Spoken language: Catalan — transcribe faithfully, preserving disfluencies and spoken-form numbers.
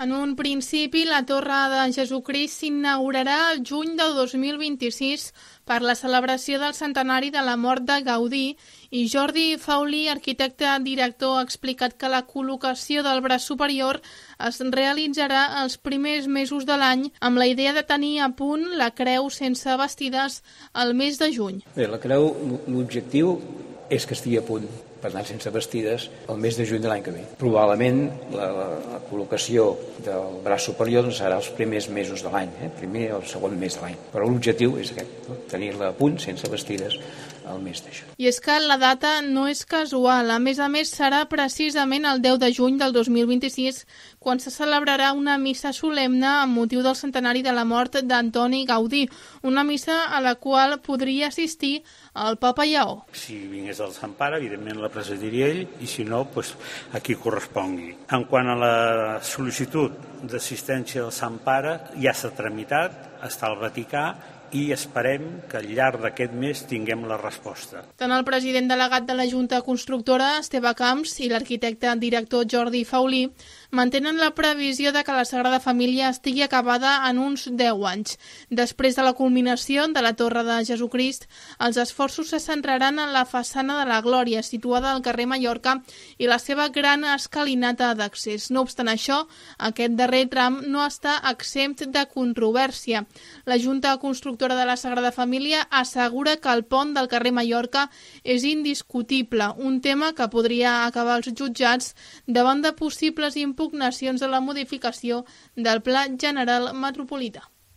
En un principi, la Torre de Jesucrist s'inaugurarà el juny del dos mil vint-i-sis per la celebració del centenari de la mort de Gaudí i Jordi Faulí, arquitecte director, ha explicat que la col·locació del braç superior es realitzarà els primers mesos de l'any amb la idea de tenir a punt la creu sense bastides al mes de juny. Bé, la creu, l'objectiu és que estigui a punt, per tant, sense bastides, el mes de juny de l'any que ve. Probablement la, la, la col·locació del braç superior doncs, serà els primers mesos de l'any, eh? primer o el segon mes de l'any. Però l'objectiu és aquest, no? Tenir-la a punt, sense bastides, el mes de juny. I és que la data no és casual. A més a més, serà precisament el deu de juny del dos mil vint-i-sis quan se celebrarà una missa solemne amb motiu del centenari de la mort d'Antoni Gaudí, una missa a la qual podria assistir el papa Lleó. Si vingués del Sant Pare, evidentment la presidiria ell, i si no, doncs, a qui correspongui. En quant a la sol·licitud d'assistència del Sant Pare, ja s'ha tramitat, està al Vaticà, i esperem que al llarg d'aquest mes tinguem la resposta. Tant el president delegat de la Junta Constructora, Esteve Camps, i l'arquitecte director Jordi Faulí mantenen la previsió de que la Sagrada Família estigui acabada en uns deu anys. Després de la culminació de la Torre de Jesucrist, els esforços se centraran en la façana de la Glòria, situada al carrer Mallorca, i la seva gran escalinata d'accés. No obstant això, aquest darrer tram no està exempt de controvèrsia. La Junta Constructora de la Sagrada Família assegura que el pont del carrer Mallorca és indiscutible, un tema que podria acabar als jutjats davant de possibles impugnacions de la modificació del Pla General Metropolità.